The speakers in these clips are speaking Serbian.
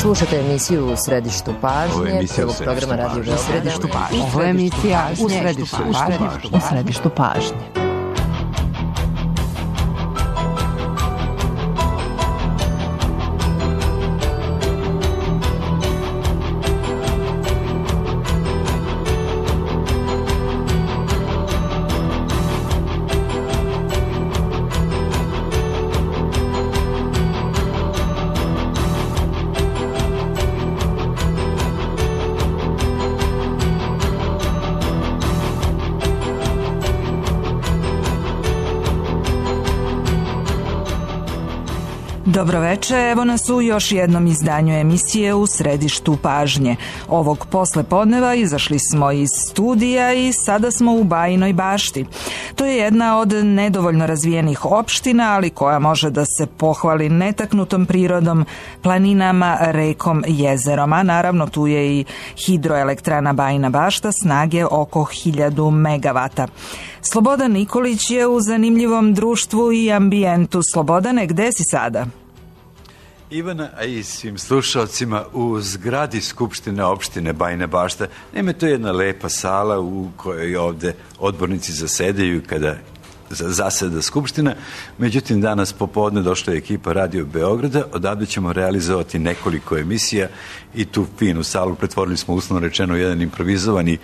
Slušate emisiju U središtu pažnje, prvog programa Radio Beograda. U središtu pažnje. Ovo je emisija U središtu pažnje. U središtu pažnje. Dobroveče, evo nas u još jednom izdanju emisije U središtu pažnje. Ovog poslepodneva izašli smo iz studija i sada smo u Bajinoj Bašti. To je jedna od nedovoljno razvijenih opština, ali koja može da se pohvali netaknutom prirodom, planinama, rekom, jezerom, a naravno tu je i hidroelektrana Bajina Bašta snage oko 1000 megavata. Slobodan Nikolić je u zanimljivom društvu i ambijentu. Slobodane, gde si sada? Ivana, a i svim slušalcima u zgradi Skupštine opštine Bajina Bašta. Naime, to je jedna lepa sala u kojoj ovde odbornici zasedaju kada zaseda Skupština. Međutim, danas popodne došla je ekipa Radio Beograda. Odavde ćemo realizovati nekoliko emisija i tu finu salu pretvorili smo uslovno rečeno jedan improvizovani,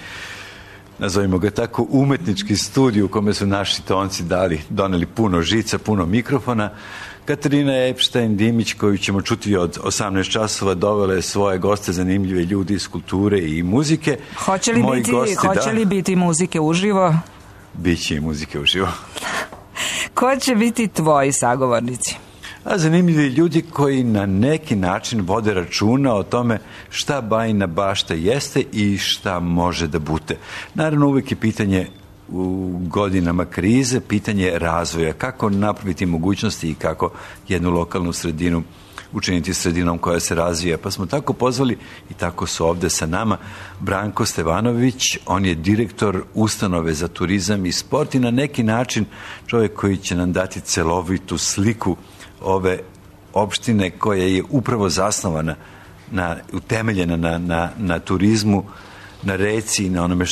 nazovimo ga tako, umetnički studij u kome su naši tonci doneli puno žica, puno mikrofona. Katarina Epštajn-Dimić, koju ćemo čuti od 18 časova, dovela je svoje goste, zanimljive ljudi iz kulture i muzike. Hoće li biti muzike uživo? Biće i muzike uživo. Ko će biti tvoji sagovornici? A zanimljivi ljudi koji na neki način vode računa o tome šta Bajina Bašta jeste i šta može da bude. Naravno, uvijek je pitanje u godinama krize, pitanje razvoja, kako napraviti mogućnosti i kako jednu lokalnu sredinu učiniti sredinom koja se razvija. Pa smo tako pozvali i tako su ovde sa nama Branko Stevanović, on je direktor ustanove za turizam i sport i na neki način čovjek koji će nam dati celovitu sliku ove opštine koja je upravo zasnovana, utemeljena na turizmu, na reci i na onome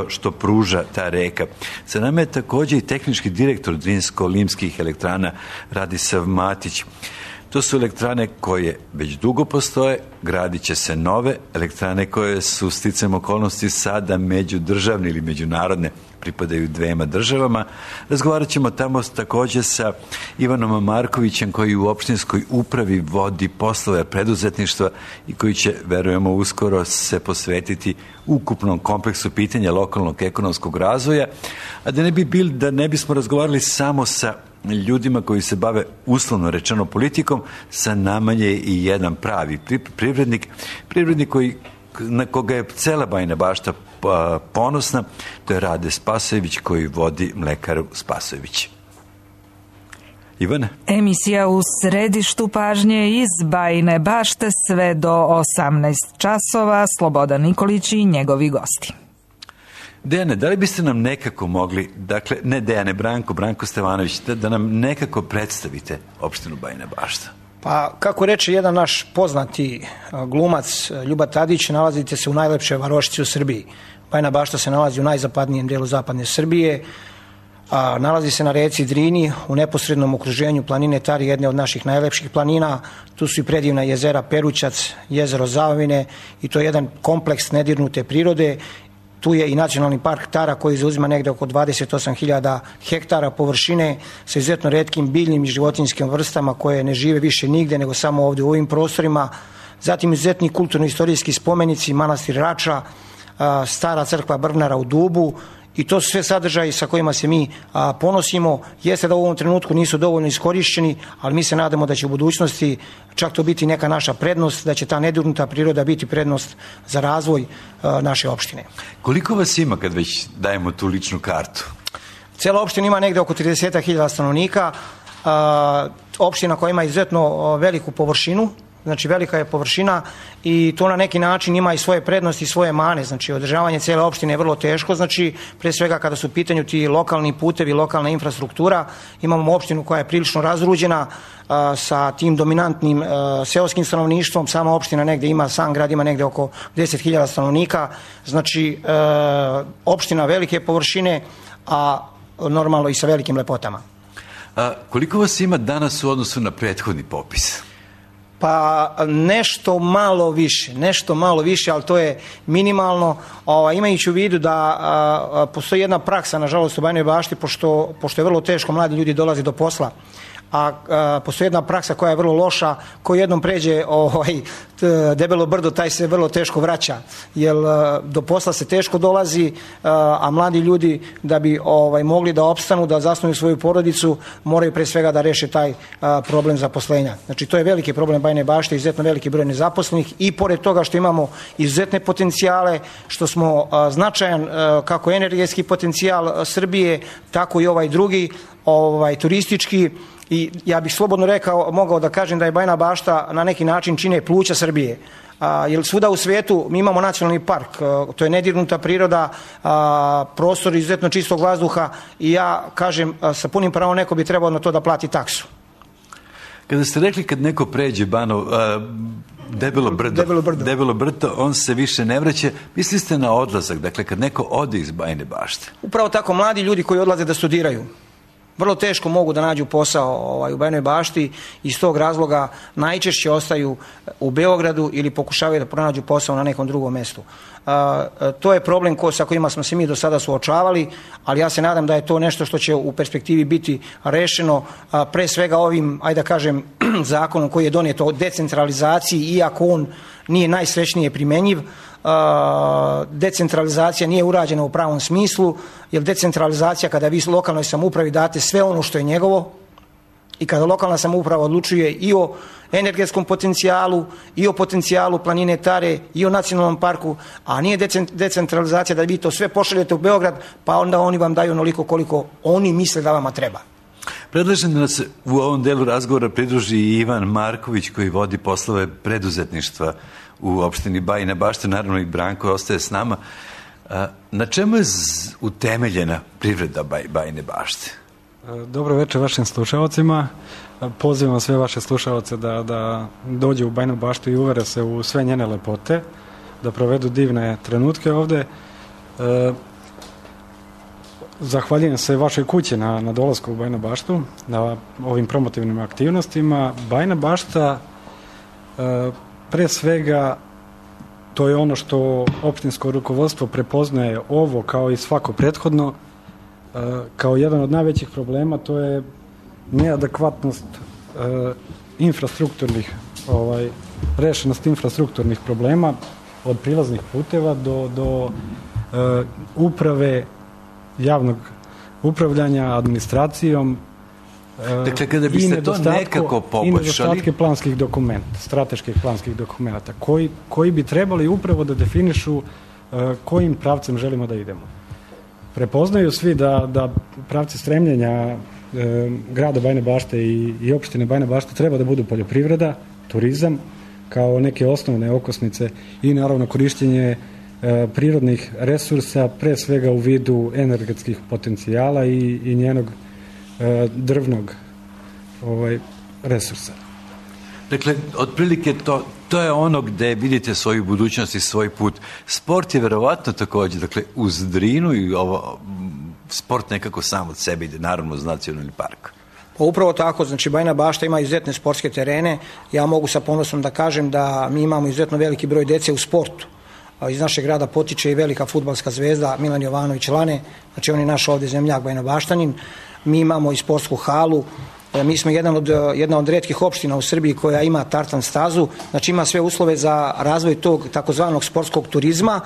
što pruža ta reka. Sa nama je također i tehnički direktor Drinsko-Limskih elektrana Radisav Matić. To su elektrane koje već dugo postoje, gradit će se nove elektrane koje su sticajem okolnosti sada međudržavne ili međunarodne, pripadaju dvema državama. Razgovarat ćemo tamo također sa Ivanom Markovićem koji u opštinskoj upravi vodi poslove preduzetništva i koji će, verujemo, uskoro se posvetiti ukupnom kompleksu pitanja lokalnog ekonomskog razvoja, a da ne bismo razgovarali samo sa ljudima koji se bave uslovno rečeno politikom, sa nama je i jedan pravi privrednik na koga je cela Bajina Bašta ponosna, to je Rade Spasojević koji vodi mlekaru Spasojević. Ivana? Emisija U središtu pažnje iz Bajine Bašte sve do 18 časova. Slobodan Nikolić i njegovi gosti. Dejane, da li biste nam nekako mogli, dakle, ne Dejane, Branko Stevanović, da nam nekako predstavite opštinu Bajina Bašta? Pa, kako reče jedan naš poznati glumac Ljuba Tadić, nalazite se u najlepšoj varošici u Srbiji. Bajina Bašta se nalazi u najzapadnijem delu zapadne Srbije, nalazi se na reci Drini, u neposrednom okruženju planine Tari, jedne od naših najlepših planina. Tu su i predivna jezera Perućac, jezero Zavine i to je jedan kompleks nedirnute prirode. Tu je i nacionalni park Tara koji zauzima negde oko 28.000 hektara površine sa izuzetno retkim biljnim i životinjskim vrstama koje ne žive više nigde nego samo ovdje u ovim prostorima. Zatim izuzetni kulturno-istorijski spomenici, manastir Rača, stara crkva Brvnara u Dubu i to su sve sadržaji sa kojima se mi ponosimo. Jeste da u ovom trenutku nisu dovoljno iskorišćeni, ali mi se nadamo da će u budućnosti čak to biti neka naša prednost, da će ta nedirnuta priroda biti prednost za razvoj naše opštine. Koliko vas ima kad već dajemo tu ličnu kartu? Cela opština ima negde oko 30.000 stanovnika. Opština koja ima izuzetno veliku površinu, znači velika je površina i to na neki način ima i svoje prednosti i svoje mane, znači održavanje cijele opštine je vrlo teško, znači pre svega kada su u pitanju ti lokalni putevi, lokalna infrastruktura, imamo opštinu koja je prilično razruđena sa tim dominantnim seoskim stanovništvom, sama opština negde ima, sam grad ima negde oko 10.000 stanovnika, znači opština velike površine, a normalno i sa velikim lepotama. Koliko vas ima danas u odnosu na prethodni popis? Pa nešto malo više, ali to je minimalno, imajući u vidu da postoji jedna praksa, nažalost, u Bajinoj Bašti, pošto je vrlo teško, mladi ljudi dolaze do posla, a postoji jedna praksa koja je vrlo loša, ko jednom pređe debelo brdo, taj se vrlo teško vraća, jer do posla se teško dolazi, a mladi ljudi da bi mogli da opstanu, da zasnuju svoju porodicu, moraju pre svega da reše taj problem zaposlenja. Znači to je veliki problem Bajine Bašte, izuzetno veliki broj nezaposlenih i pored toga što imamo izuzetne potencijale, što smo značajan kako energetski potencijal Srbije, tako i ovaj drugi, turistički. I ja bih slobodno mogao da kažem da je Bajina Bašta na neki način čine pluća Srbije. Jer svuda u svijetu mi imamo nacionalni park, to je nedirnuta priroda, prostor izuzetno čistog vazduha i ja kažem sa punim pravom neko bi trebao na to da plati taksu. Kada ste rekli kad neko pređe Debelo brdo, on se više ne vraća, mislili ste na odlazak, dakle kad neko ode iz Bajine Bašte? Upravo tako, mladi ljudi koji odlaze da studiraju vrlo teško mogu da nađu posao u Bajinoj Bašti, iz tog razloga najčešće ostaju u Beogradu ili pokušavaju da pronađu posao na nekom drugom mestu. To je problem sa kojima smo se mi do sada suočavali, ali ja se nadam da je to nešto što će u perspektivi biti rešeno, pre svega ovim, ajde da kažem, zakonom koji je donijet o decentralizaciji, iako on nije najsrećnije primenjiv. Decentralizacija nije urađena u pravom smislu, jer decentralizacija kada vi lokalnoj samoupravi date sve ono što je njegovo i kada lokalna samouprava odlučuje i o energetskom potencijalu, i o potencijalu planine Tare, i o nacionalnom parku, a nije decentralizacija da vi to sve pošaljete u Beograd, pa onda oni vam daju onoliko koliko oni misle da vama treba. Predlažem da nas u ovom delu razgovora pridruži i Ivan Marković koji vodi poslove preduzetništva u opštini Bajina Bašta, naravno i Branko ostaje s nama. Na čemu je utemeljena privreda Bajine Bašte? Dobro večer vašim slušalcima. Pozivam sve vaše slušalce da dođu u Bajinu Baštu i uvere se u sve njene lepote, da provedu divne trenutke ovde. Zahvaljujem se vašoj kući na dolasku u Bajinu Baštu, na ovim promotivnim aktivnostima. Bajina Bašta pre svega to je ono što opštinsko rukovodstvo prepoznaje ovo kao i svako prethodno kao jedan od najvećih problema, to je neadekvatnost infrastrukturnih rešenost infrastrukturnih problema od prilaznih puteva do uprave, javnog upravljanja administracijom. Dakle, kada biste to nekako poboljšali... I nedostatke planskih dokumenta, strateških planskih dokumenta, koji bi trebali upravo da definišu kojim pravcem želimo da idemo. Prepoznaju svi da pravci stremljenja grada Bajine Bašte i opštine Bajina Bašta treba da budu poljoprivreda, turizam, kao neke osnovne okosnice i naravno korišćenje prirodnih resursa, pre svega u vidu energetskih potencijala i njenog drvnog resursa. Dakle, otprilike to je ono gde vidite svoju budućnost i svoj put. Sport je verovatno takođe, dakle, uz Drinu i ovo, sport nekako sam od sebe ide, naravno uz nacionalni park. Pa upravo tako, znači Bajina Bašta ima izuzetne sportske terene. Ja mogu sa ponosom da kažem da mi imamo izuzetno veliki broj dece u sportu. Iz našeg grada potiče i velika fudbalska zvezda Milan Jovanović Lane, znači on je naš ovde zemljak Bajinobaštanin. Mi imamo i sportsku halu, mi smo jedna od retkih opština u Srbiji koja ima tartan stazu, znači ima sve uslove za razvoj tog takozvanog sportskog turizma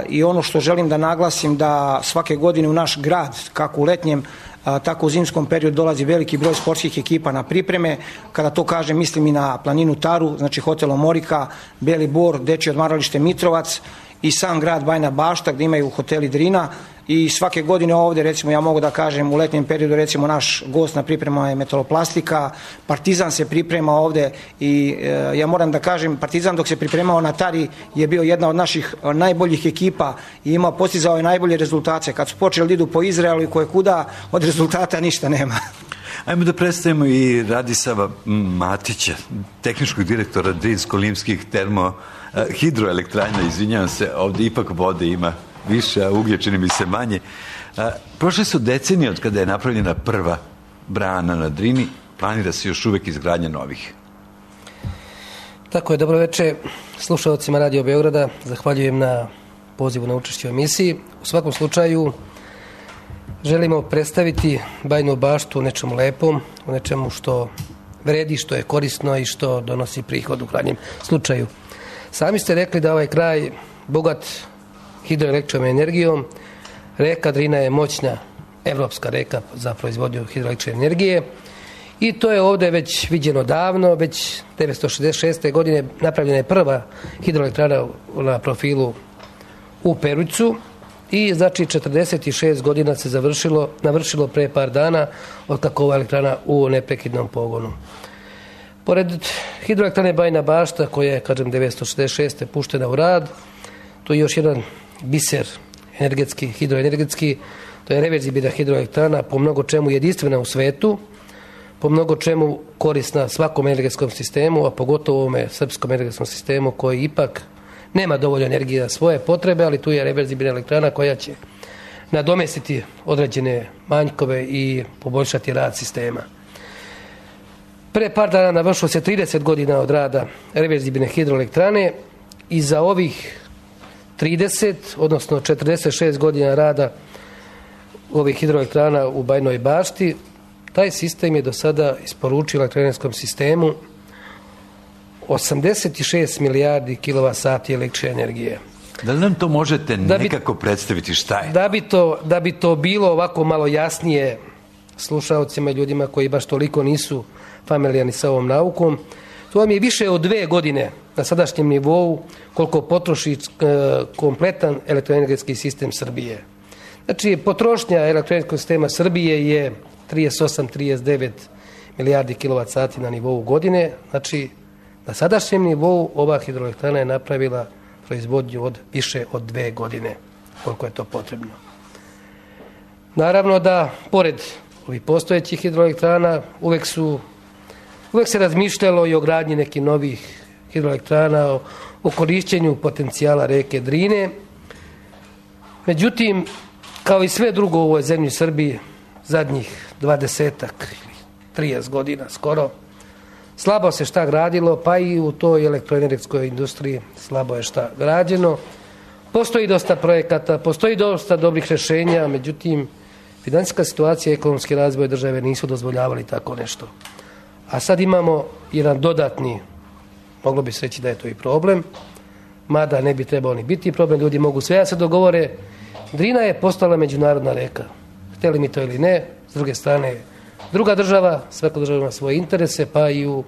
i ono što želim da naglasim da svake godine u naš grad, kako u letnjem, tako u zimskom periodu dolazi veliki broj sportskih ekipa na pripreme. Kada to kažem, mislim i na planinu Taru, znači hotel Omorika, Beli Bor, dečje odmaralište Mitrovac i sam grad Bajina Bašta gde imaju hoteli Drina i svake godine ovdje, recimo ja mogu da kažem u letnjem periodu, recimo naš gost na priprema je Metaloplastika, Partizan se priprema ovdje i ja moram da kažem, Partizan dok se pripremao na Tari je bio jedna od naših najboljih ekipa i postizao je najbolje rezultate. Kad su počeli da idu po Izraelu i koje kuda, od rezultata ništa nema. Ajmo da predstavimo i Radisava Matića, tehničkog direktora Drinsko-Limskih hidroelektrana, izvinjavam se, ovdje ipak vode ima više, a uglje čini mi se manje. Prošle su decenije od kada je napravljena prva brana na Drini, planira se još uvek izgradnja novih. Tako je, dobro večer slušalcima Radio Beograda, zahvaljujem na pozivu na učešće u emisiji. U svakom slučaju želimo predstaviti Bajinu Baštu u nečemu lepom, u nečemu što vredi, što je korisno i što donosi prihod u krajnjem slučaju. Sami ste rekli da ovaj kraj bogat hidroelektričnom energijom. Reka Drina je moćna evropska reka za proizvodnju hidroelektrične energije i to je ovdje već viđeno davno, već 1966. godine napravljena je prva hidroelektrana na profilu u Perućcu i znači 46 godina se navršilo pre par dana od kako ova elektrana u neprekidnom pogonu. Pored hidroelektrane Bajina Bašta koja je, kažem, 1966. puštena u rad, to je još jedan biser energetski, hidroenergetski, to je reverzibilna hidroelektrana, po mnogo čemu jedinstvena u svetu, po mnogo čemu korisna svakom energetskom sistemu, a pogotovo ovome srpskom energetskom sistemu koji ipak nema dovoljno energije za svoje potrebe, ali tu je reverzibilna elektrana koja će nadomestiti određene manjkove i poboljšati rad sistema. Pre par dana navršilo se 30 godina od rada reverzibilne hidroelektrane i za ovih 30, odnosno 46 godina rada ovih hidroelektrana u Bajinoj Bašti, taj sistem je do sada isporučio elektroenergetskom sistemu 86 milijardi kilovat-sati električne energije. Da li nam to možete nekako predstaviti šta je? Da bi to bilo ovako malo jasnije slušalcima i ljudima koji baš toliko nisu familijarni sa ovom naukom, to vam je više od 2 godine na sadašnjem nivou koliko potroši kompletan elektroenergetski sistem Srbije. Znači, potrošnja elektroenergetskog sistema Srbije je 38-39 milijardi kilovat-sati na nivou godine. Znači, na sadašnjem nivou ova hidroelektrana je napravila proizvodnju od više od 2 godine, koliko je to potrebno. Naravno da, pored ovih postojećih hidroelektrana, uvek se razmišljalo i o gradnji nekih novih hidroelektrana, o korišćenju potencijala reke Drine. Međutim, kao i sve drugo u ovoj zemlji Srbiji, zadnjih 20-ak ili 30 godina skoro, slabo se šta gradilo, pa i u toj elektroenergetskoj industriji slabo je šta građeno. Postoji dosta projekata, postoji dosta dobrih rješenja, međutim, finansijska situacija i ekonomski razvoj države nisu dozvoljavali tako nešto. A sad imamo jedan dodatni, moglo bi se reći da je to i problem, mada ne bi trebao ni biti problem, ljudi mogu sve da se dogovore. Drina je postala međunarodna reka, htjeli mi to ili ne, s druge strane druga država, svaka država ima svoje interese, pa i u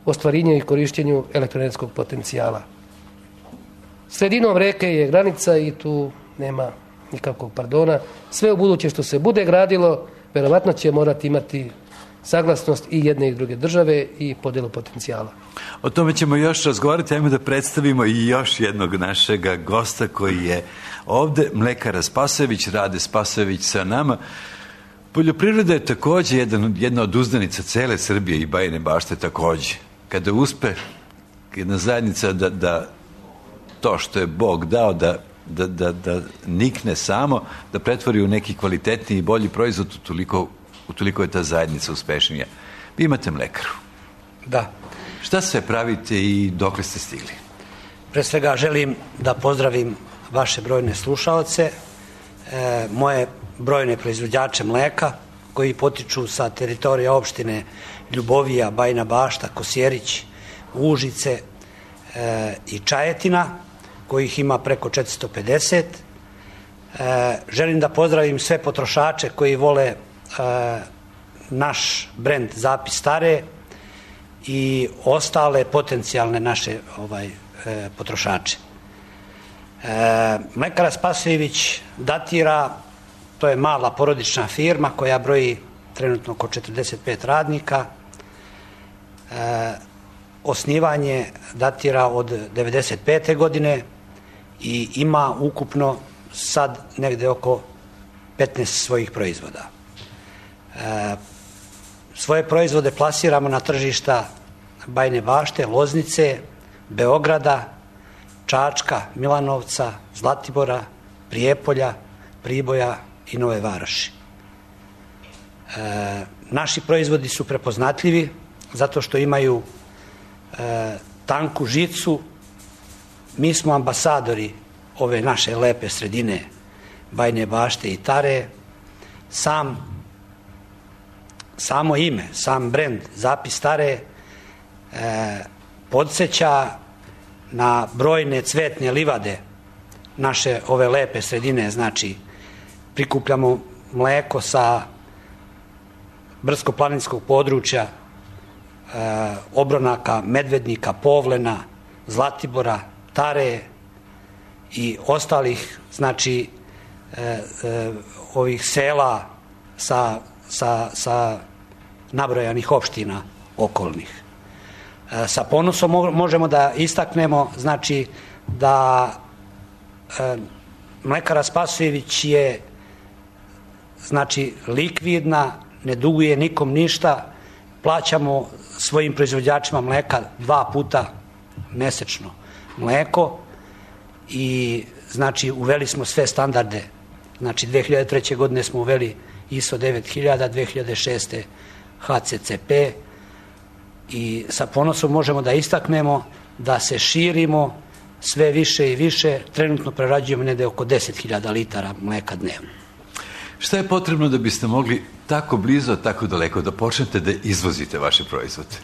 ostvarivanju i korištenju elektroenergetskog potencijala. Sredinom reke je granica i tu nema nikakvog pardona. Sve u buduće što se bude gradilo, verovatno će morati imati saglasnost i jedne i druge države i podjelu potencijala. O tome ćemo još razgovarati. Ajmo da predstavimo i još jednog našega gosta koji je ovde, mlekara Spasojević, Rade Spasojević sa nama. Poljoprivreda je takođe jedna od uzdanica cele Srbije i Bajine Bašte takođe. Kada uspe jedna zajednica da to što je Bog dao da nikne samo, da pretvori u neki kvalitetniji i bolji proizvod, utoliko je ta zajednica uspešnija. Vi imate mlekaru. Da. Šta sve pravite i dokle ste stigli? Pre svega želim da pozdravim vaše brojne slušaoce, moje brojne proizvođače mleka koji potiču sa teritorija opštine Ljubovija, Bajina Bašta, Kosjerić, Užice i Čajetina, kojih ima preko 450. Želim da pozdravim sve potrošače koji vole naš brend Zapis Stare i ostale potencijalne naše potrošače. Mlekara Spasojević datira to je mala porodična firma koja broji trenutno oko 45 radnika. Osnivanje datira od 1995. godine i ima ukupno sad negde oko 15 svojih proizvoda. Svoje proizvode plasiramo na tržišta Bajine Bašte, Loznice, Beograda, Čačka, Milanovca, Zlatibora, Prijepolja, Priboja i Nove Varoši. Naši proizvodi su prepoznatljivi zato što imaju tanku žicu. Mi smo ambasadori ove naše lepe sredine Bajine Bašte i Tare. Samo ime, sam brend Zapis Tare podsjeća na brojne cvetne livade naše ove lepe sredine. Znači, prikupljamo mleko sa brdsko-planinskog područja, Obronaka, Medvednika, Povlena, Zlatibora, Tare i ostalih, znači, ovih sela sa nabrojanih opština okolnih. Sa ponosom možemo da istaknemo, znači, da Mlekara Spasojević je, znači, likvidna, ne duguje nikom ništa, plaćamo svojim proizvođačima mleka 2 puta mesečno mleko i, znači, uveli smo sve standarde. Znači, 2003. godine smo uveli ISO 9000, 2006. HCCP i sa ponosom možemo da istaknemo da se širimo sve više i više. Trenutno prerađujemo negde oko 10.000 litara mleka dnevno. Šta je potrebno da biste mogli tako blizo, tako daleko da počnete da izvozite vaše proizvode?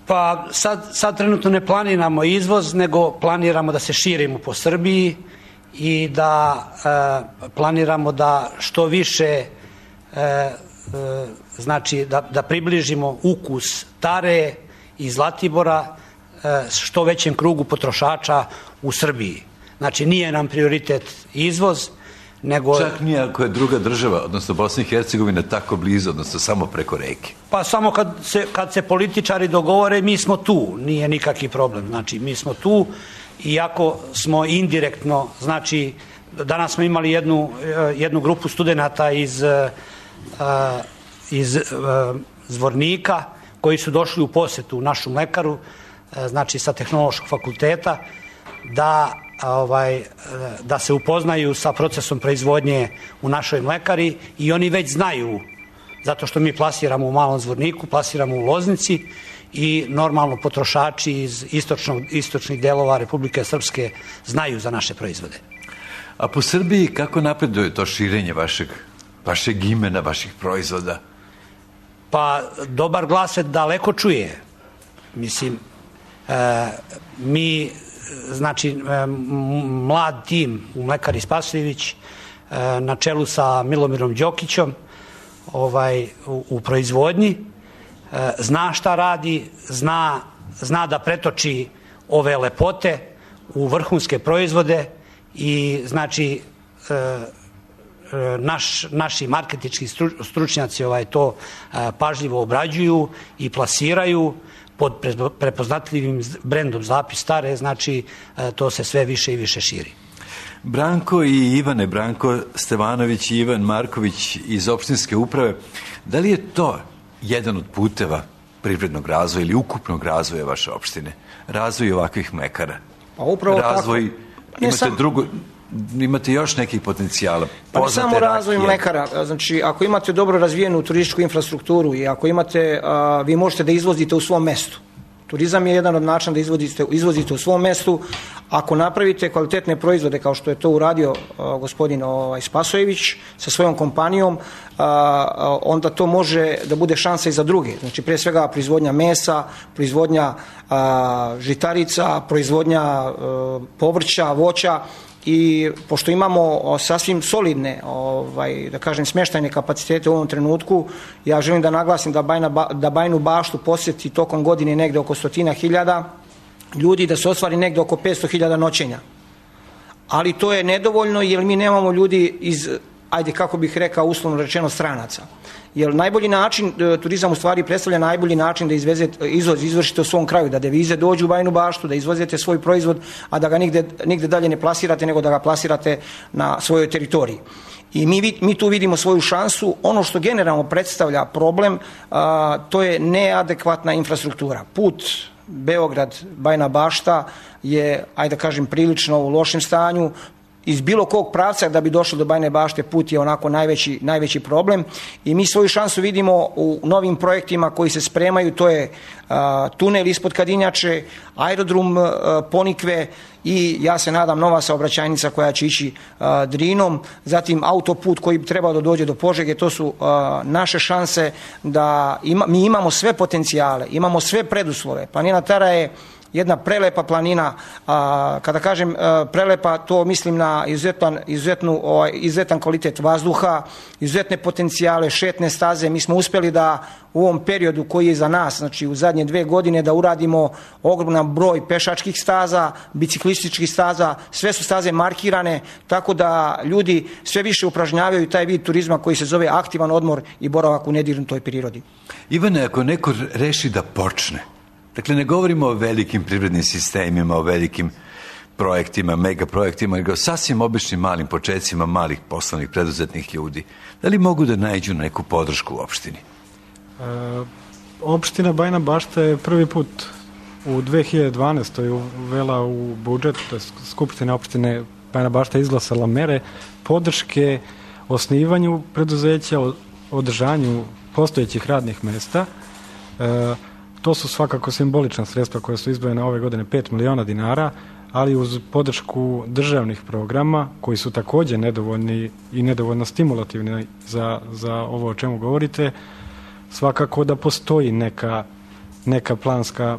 Pa sad trenutno ne planiramo izvoz, nego planiramo da se širimo po Srbiji i da planiramo da što više, znači da približimo ukus Tare i Zlatibora što većem krugu potrošača u Srbiji. Znači, nije nam prioritet izvoz, nego... Čak nije ako je druga država, odnosno Bosna i Hercegovina, tako blizu, odnosno samo preko reke. Pa samo kad se političari dogovore, mi smo tu, nije nikakvi problem. Znači, mi smo tu, iako smo indirektno, znači, danas smo imali jednu grupu studenata iz Zvornika, koji su došli u posetu u našu mlekaru, znači sa Tehnološkog fakulteta, da se upoznaju sa procesom proizvodnje u našoj mlekari i oni već znaju, zato što mi plasiramo u Malom Zvorniku, plasiramo u Loznici i normalno potrošači iz istočnih delova Republike Srpske znaju za naše proizvode. A po Srbiji kako napreduje to širenje vašeg imena, vaših proizvoda? Pa dobar glas se daleko čuje. Mislim, mi, znači, mlad tim u Mlekari Spasojević na čelu sa Milomirom Đokićom u proizvodnji zna šta radi, zna da pretoči ove lepote u vrhunske proizvode i, znači, naši marketinški stručnjaci to pažljivo obrađuju i plasiraju pod prepoznatljivim brendom Zapis Tare, znači to se sve više i više širi. Branko i Ivane, Branko Stevanović i Ivan Marković iz opštinske uprave, da li je to jedan od puteva privrednog razvoja ili ukupnog razvoja vaše opštine? Razvoj ovakvih mlekara? Pa upravo razvoj, tako. Imate još nekih potencijala? Pa ne samo razvoj mlekara. Znači, ako imate dobro razvijenu turističku infrastrukturu i ako imate, vi možete da izvozite u svom mestu. Turizam je jedan od načina da izvozite u svom mestu. Ako napravite kvalitetne proizvode, kao što je to uradio gospodin Spasojević sa svojom kompanijom, onda to može da bude šansa i za druge. Znači, pre svega proizvodnja mesa, proizvodnja žitarica, proizvodnja povrća, voća. I pošto imamo sasvim solidne, da kažem, smještajne kapacitete u ovom trenutku, ja želim da naglasim da Bajinu Baštu posjeti tokom godine negde oko 100.000 ljudi, da se ostvari negde oko 500.000 noćenja. ali to je nedovoljno jer mi nemamo ljudi iz, ajde kako bih rekao uslovno rečeno, stranaca. Jer najbolji način, turizam u stvari predstavlja najbolji način da izvršite u svom kraju, da devize dođu u Bajinu Baštu, da izvozite svoj proizvod, a da ga nigde dalje ne plasirate, nego da ga plasirate na svojoj teritoriji. I mi tu vidimo svoju šansu. Ono što generalno predstavlja problem, to je neadekvatna infrastruktura. Put Beograd-Bajina Bašta je, ajde da kažem, prilično u lošem stanju. Iz bilo kog pravca da bi došlo do Bajine Bašte put je onako najveći problem i mi svoju šansu vidimo u novim projektima koji se spremaju, to je tunel ispod Kadinjače, aerodrom Ponikve i ja se nadam nova saobraćajnica koja će ići Drinom, zatim autoput koji bi trebao da dođe do Požege. To su naše šanse da mi imamo sve potencijale, imamo sve preduslove. Planina Tara je jedna prelepa planina, kada kažem prelepa, to mislim na izuzetan kvalitet vazduha, izuzetne potencijale, šetne staze. Mi smo uspjeli da u ovom periodu koji je za nas, znači u zadnje 2 godine, da uradimo ogroman broj pešačkih staza, biciklističkih staza, sve su staze markirane, tako da ljudi sve više upražnjavaju taj vid turizma koji se zove aktivan odmor i boravak u nedirnutoj prirodi. Ivane, ako neko reši da počne, dakle, ne govorimo o velikim privrednim sistemima, o velikim projektima, megaprojektima, nego o sasvim običnim malim početcima malih poslovnih preduzetnih ljudi. Da li mogu da nađu neku podršku u opštini? Opština Bajina Bašta je prvi put u 2012. uvela u budžet, Skupština opštine Bajina Bašta izglasala mere podrške osnivanju preduzeća, održanju postojećih radnih mesta. To su svakako simbolična sredstva koja su izdvojena ove godine, 5 miliona dinara, ali uz podršku državnih programa koji su također nedovoljni i nedovoljno stimulativni za ovo o čemu govorite, svakako da postoji neka planska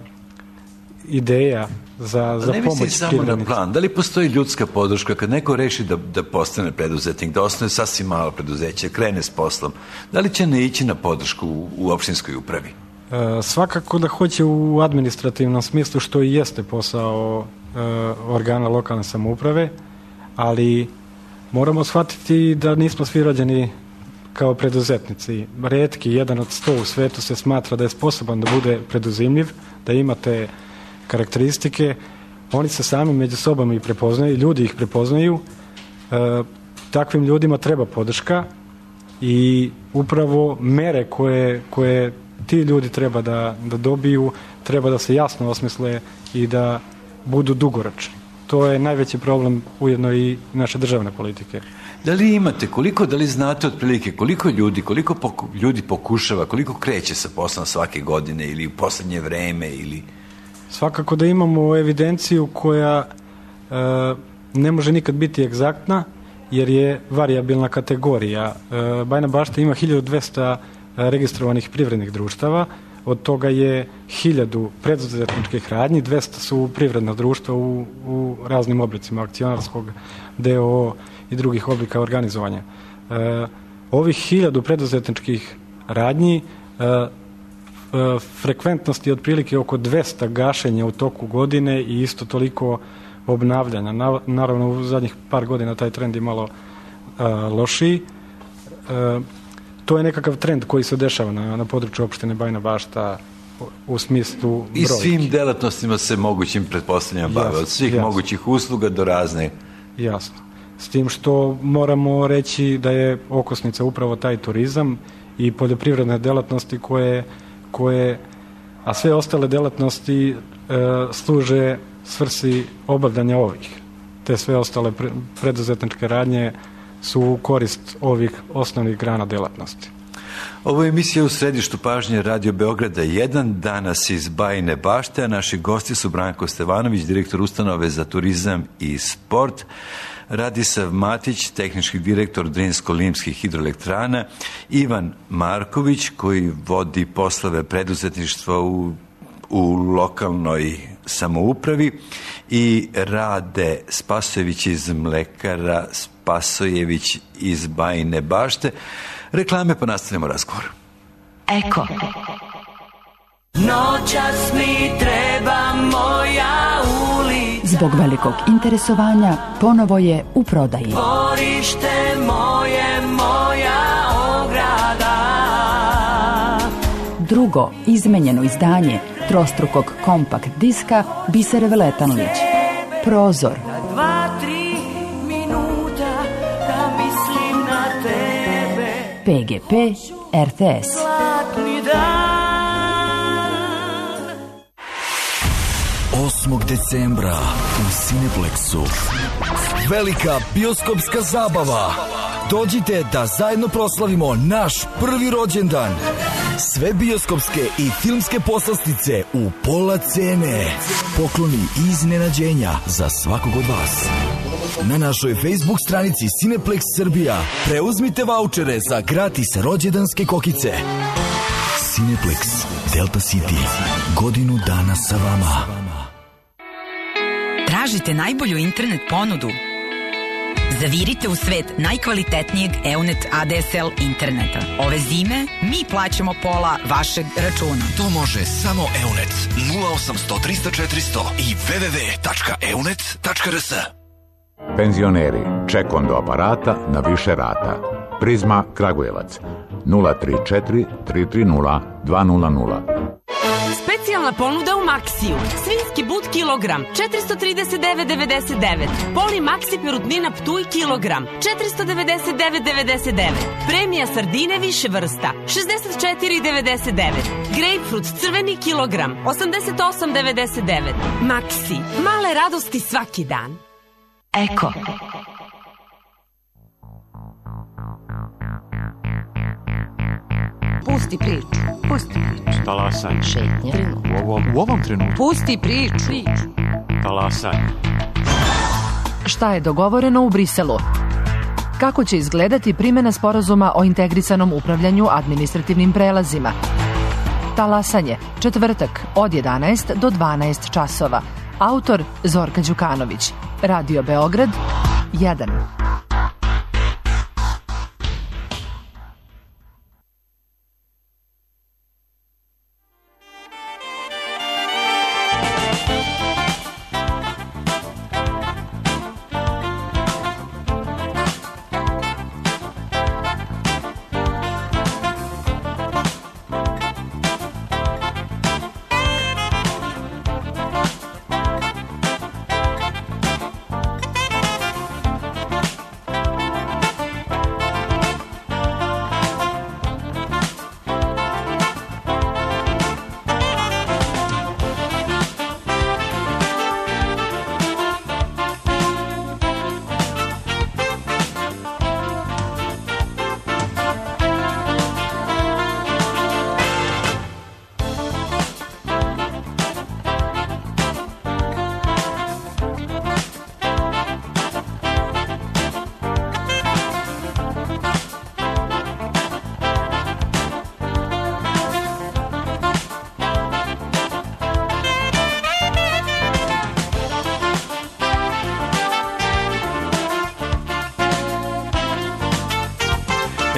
ideja za pomoć privrednicima. Ne mislim samo na plan. Da li postoji ljudska podrška kad neko reši da postane preduzetnik, da osnuje sasvim malo preduzeće, krene s poslom? Da li će ne ići na podršku u opštinskoj upravi? Svakako da hoće u administrativnom smislu, što i jeste posao organa lokalne samouprave, ali moramo shvatiti da nismo svi rođeni kao preduzetnici. Retki, 1 od 100 u svetu se smatra da je sposoban da bude preduzimljiv, da ima te karakteristike. Oni se sami među sobom i prepoznaju, ljudi ih prepoznaju. Takvim ljudima treba podrška i upravo mere koje ti ljudi treba da dobiju, treba da se jasno osmisle i da budu dugoročni. To je najveći problem ujedno i naše državne politike. Da li imate, da li znate otprilike koliko ljudi pokušava, koliko kreće sa poslom svake godine ili u posljednje vreme ili... Svakako da imamo evidenciju koja ne može nikad biti egzaktna jer je varijabilna kategorija. Bajina Bašta ima 1200 registrovanih privrednih društava, od toga je 1000 preduzetničkih radnji, 200 su privredna društva u raznim oblicima akcionarskog, DOO i drugih oblika organizovanja. Ovih 1000 preduzetničkih radnji frekventnost je otprilike oko 200 gašenja u toku godine i isto toliko obnavljanja. Naravno, u zadnjih par godina taj trend je malo lošiji. To je nekakav trend koji se dešava na području opštine Bajina Bašta u smislu brojki. I svim delatnostima se mogućim pretpostavljama bave, od svih mogućih usluga do razne. Jasno. S tim što moramo reći da je okosnica upravo taj turizam i poljoprivredne delatnosti koje a sve ostale delatnosti služe svrsi obavljanja ovih. Te sve ostale preduzetničke radnje su u korist ovih osnovnih grana delatnosti. Ovo je emisija U središtu pažnje Radio Beograda 1, danas iz Bajine Bašte, a naši gosti su Branko Stevanović, direktor ustanove za turizam i sport, Radisav Matić, tehnički direktor Drinsko-Limskih hidroelektrana, Ivan Marković, koji vodi poslove preduzetništva u lokalnoj samoupravi, i Rade Spasojević iz Mlekara Spasojević iz Bajine Bašte. Reklame, pa nastavljamo razgovor. Eko. Noćas mi treba moja ulica. Zbog velikog interesovanja ponovo je u prodaji. Dvorište moje, moja ograda. Drugo izmenjeno izdanje trostrukog kompakt diska Bisere Veletanlić. Prozor. 2-3 minuta da mislim na tebe. PGP RTS. Zlatni dan. 8. decembra u Cineplexu. Velika bioskopska zabava. Dođite da zajedno proslavimo naš prvi rođendan. Sve bioskopske i filmske poslastice u pola cene. Pokloni i iznenađenja za svakog od vas. Na našoj Facebook stranici Cineplex Srbija preuzmite vaučere za gratis rođendanske kokice. Cineplex Delta City. Godinu dana sa vama. Tražite najbolju internet ponudu? Zavirite u svet najkvalitetnijeg EUNET ADSL interneta. Ove zime mi plaćamo pola vašeg računa. To može samo EUNET 0800 300 400 i www.eunet.rs. Penzioneri, ček do aparata na više rata. Prizma Kragujevac 034 330 200. Specijalna ponuda u Maxiju. Svinjski but kilogram 439,99. Poli Maxi perutnina Ptuj kilogram 499,99. Premija sardine više vrsta 64,99. Grapefruit crveni kilogram 88,99. Maxi. Male radosti svaki dan. Eko. Pusti priču. Pusti priču. Talasanje. Šetnje. U ovom trenutku. Pusti priču. Talasanje. Šta je dogovoreno u Briselu? Kako će izgledati primjena sporazuma o integrisanom upravljanju administrativnim prelazima? Talasanje, četvrtak od 11 do 12 časova. Autor Zorka Đukanović. Radio Beograd 1.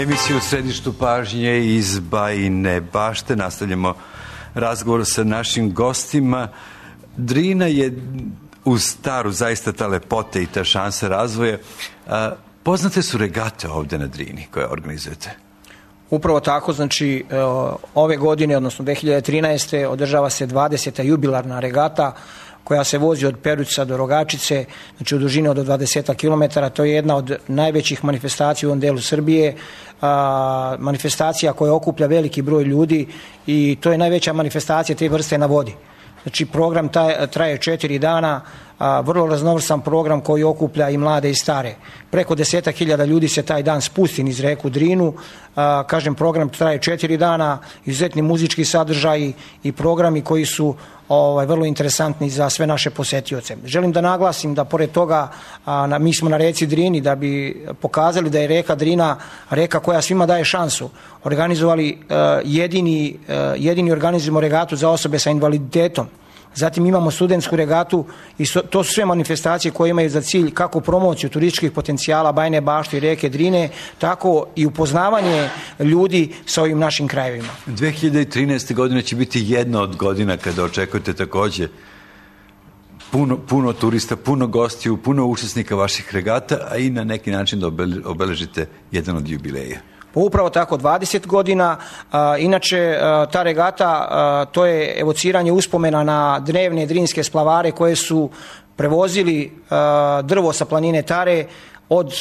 Emisiju u središtu pažnje iz Bajine Bašte. Nastavljamo razgovor sa našim gostima. Drina je uz staru zaista ta lepota i ta šansa razvoja. Poznate su regate ovde na Drini koje organizujete? Upravo tako, znači ove godine, odnosno 2013. održava se 20. jubilarna regata koja se vozi od Peruća do Rogačice, znači u dužini od 20 km. To je jedna od najvećih manifestacija u ovom delu Srbije, manifestacija koja okuplja veliki broj ljudi i to je najveća manifestacija te vrste na vodi. Znači program traje 4 dana, vrlo raznovrsan program koji okuplja i mlade i stare. Preko 10.000 ljudi se taj dan spusti niz reku Drinu. Kažem, program traje 4 dana, izuzetni muzički sadržaji i programi koji su vrlo interesantni za sve naše posetioce. Želim da naglasim da pored toga mi smo na reci Drini da bi pokazali da je reka Drina reka koja svima daje šansu. Organizovali jedini organizujemo regatu za osobe sa invaliditetom. Zatim imamo studentsku regatu i to su sve manifestacije koje imaju za cilj kako promociju turističkih potencijala Bajine Bašte i reke Drine, tako i upoznavanje ljudi sa ovim našim krajevima. 2013. godine će biti jedna od godina kada očekujete takođe puno turista, puno gostiju, puno učesnika vaših regata, a i na neki način da obeležite jedan od jubileja. Upravo tako, 20 godina. Inače, ta regata, to je evociranje uspomena na drevne drinske splavare koje su prevozili drvo sa planine Tare od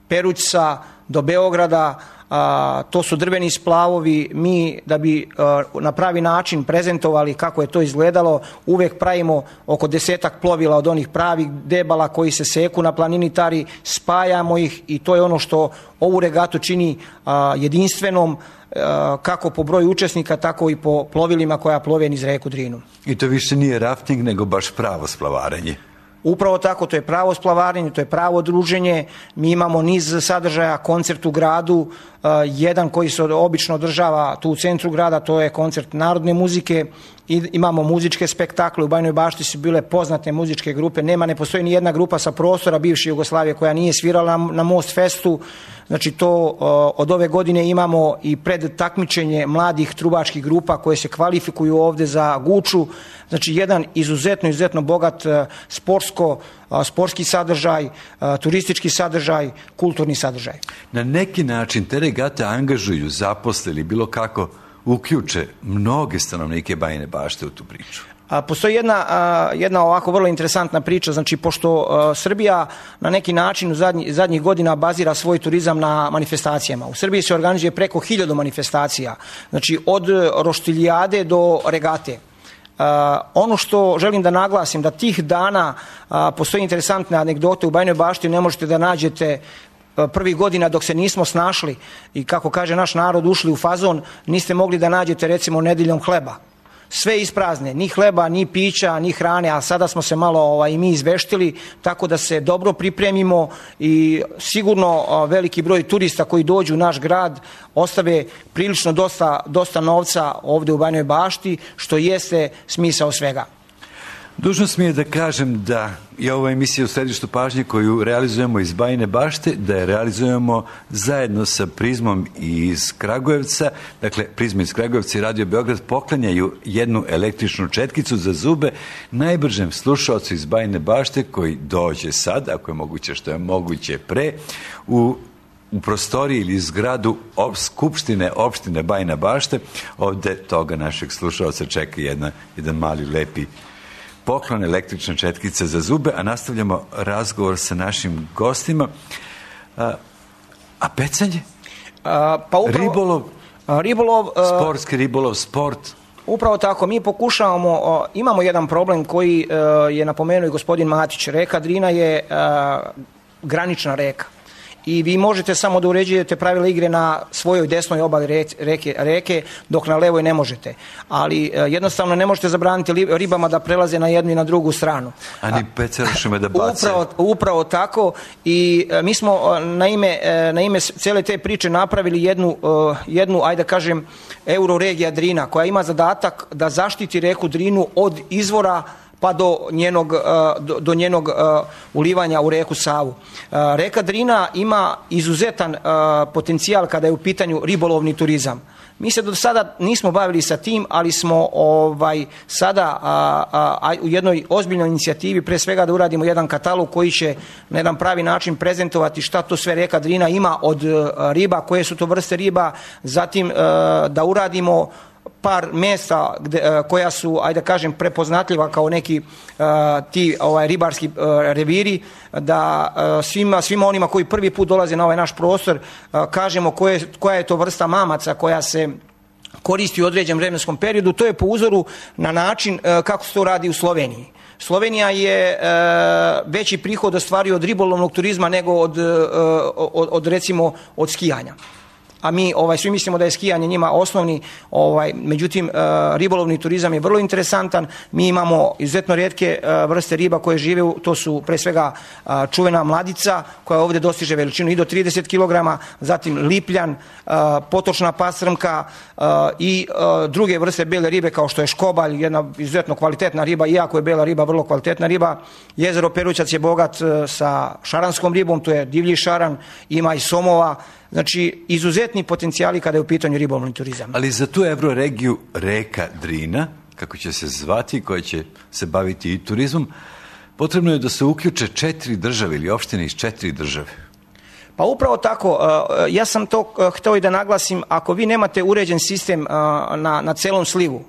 Perućca do Beograda. To su drveni splavovi. Mi, da bi na pravi način prezentovali kako je to izgledalo, uvek pravimo oko 10 plovila od onih pravih debala koji se seku na planini Tari, spajamo ih i to je ono što ovu regatu čini jedinstvenom, kako po broju učesnika, tako i po plovilima koja plove niz reku Drinu. I to više nije rafting, nego baš pravo splavarenje. Upravo tako, to je pravo splavarenje, to je pravo druženje. Mi imamo niz sadržaja, koncert u gradu, jedan koji se obično održava tu u centru grada, to je koncert narodne muzike. Imamo muzičke spektakle, u Bajnoj Bašti su bile poznate muzičke grupe, ne postoji ni jedna grupa sa prostora bivše Jugoslavije koja nije svirala na Most Festu. Znači to od ove godine imamo i pred takmičenje mladih trubačkih grupa koje se kvalifikuju ovde za Guču. Znači jedan izuzetno bogat sportski sadržaj, turistički sadržaj, kulturni sadržaj. Na neki način te regate angažuju, zaposle ili bilo kako uključe mnoge stanovnike Bajine Bašte u tu priču. Postoji jedna ovako vrlo interesantna priča, znači pošto Srbija na neki način u zadnjih godina bazira svoj turizam na manifestacijama. U Srbiji se organizuje preko 1000 manifestacija, znači od roštiljade do regate. Ono što želim da naglasim, da tih dana postoji interesantne anegdote u Bajnoj Bašti, ne možete da nađete prvih godina dok se nismo snašli i kako kaže naš narod ušli u fazon, niste mogli da nađete recimo nedeljom hleba. Sve isprazne, ni hleba, ni pića, ni hrane, a sada smo se malo i mi izveštili, tako da se dobro pripremimo i sigurno veliki broj turista koji dođu u naš grad ostave prilično dosta novca ovde u Bajnoj Bašti, što jeste smisao svega. Dužnost mi je da kažem da je ova emisija u središtu pažnje koju realizujemo iz Bajine Bašte, da je realizujemo zajedno sa Prizmom iz Kragujevca. Dakle, Prizma iz Kragujevca i Radio Beograd poklanjaju jednu električnu četkicu za zube najbržem slušaocu iz Bajine Bašte koji dođe sad, ako je moguće, što je moguće pre, u prostoriji ili zgradu Skupštine opštine Bajina Bašte. Ovde toga našeg slušaoca čeka jedan mali lepi poklon, električna četkica za zube, a nastavljamo razgovor sa našim gostima. A pecanje? Ribolov? Sportski ribolov, sport? Upravo tako, mi pokušavamo, imamo jedan problem koji je napomenuo i gospodin Matić. Reka Drina je granična reka. I vi možete samo da uređujete pravila igre na svojoj desnoj obali reke, dok na levoj ne možete. Ali jednostavno ne možete zabraniti ribama da prelaze na jednu i na drugu stranu. A ni pecerušima da bace. Upravo tako. I mi smo na ime cele te priče napravili jednu, ajde da kažem, Euroregija Drina, koja ima zadatak da zaštiti reku Drinu od izvora pa do njenog ulivanja u reku Savu. Reka Drina ima izuzetan potencijal kada je u pitanju ribolovni turizam. Mi se do sada nismo bavili sa tim, ali smo sada u jednoj ozbiljnoj inicijativi pre svega da uradimo jedan katalog koji će na jedan pravi način prezentovati šta to sve reka Drina ima od riba, koje su to vrste riba, zatim da uradimo par mjesta koja su, ajde da kažem, prepoznatljiva kao neki ti ribarski reviri, da svima onima koji prvi put dolaze na ovaj naš prostor kažemo koja je to vrsta mamaca koja se koristi u određenom vremenskom periodu. To je po uzoru na način kako se to radi u Sloveniji. Slovenija je veći prihod ostvario od ribolovnog turizma nego od recimo od skijanja. A mi svi mislimo da je skijanje njima osnovni, međutim ribolovni turizam je vrlo interesantan. Mi imamo izuzetno rijetke vrste riba koje žive, to su pre svega čuvena mladica koja ovdje dostiže veličinu i do 30 kg, zatim lipljan, potočna pasrmka i druge vrste bele ribe kao što je škobalj, jedna izuzetno kvalitetna riba, iako je bela riba vrlo kvalitetna riba. Jezero Perućac je bogat sa šaranskom ribom, to je divlji šaran, ima i somova. Znači, izuzetni potencijali kada je u pitanju ribolovni turizam. Ali za tu Euroregiju reka Drina, kako će se zvati, koja će se baviti i turizmom, potrebno je da se uključe 4 države ili opštine iz 4 države. Pa upravo tako, ja sam to hteo i da naglasim, ako vi nemate uređen sistem na celom slivu,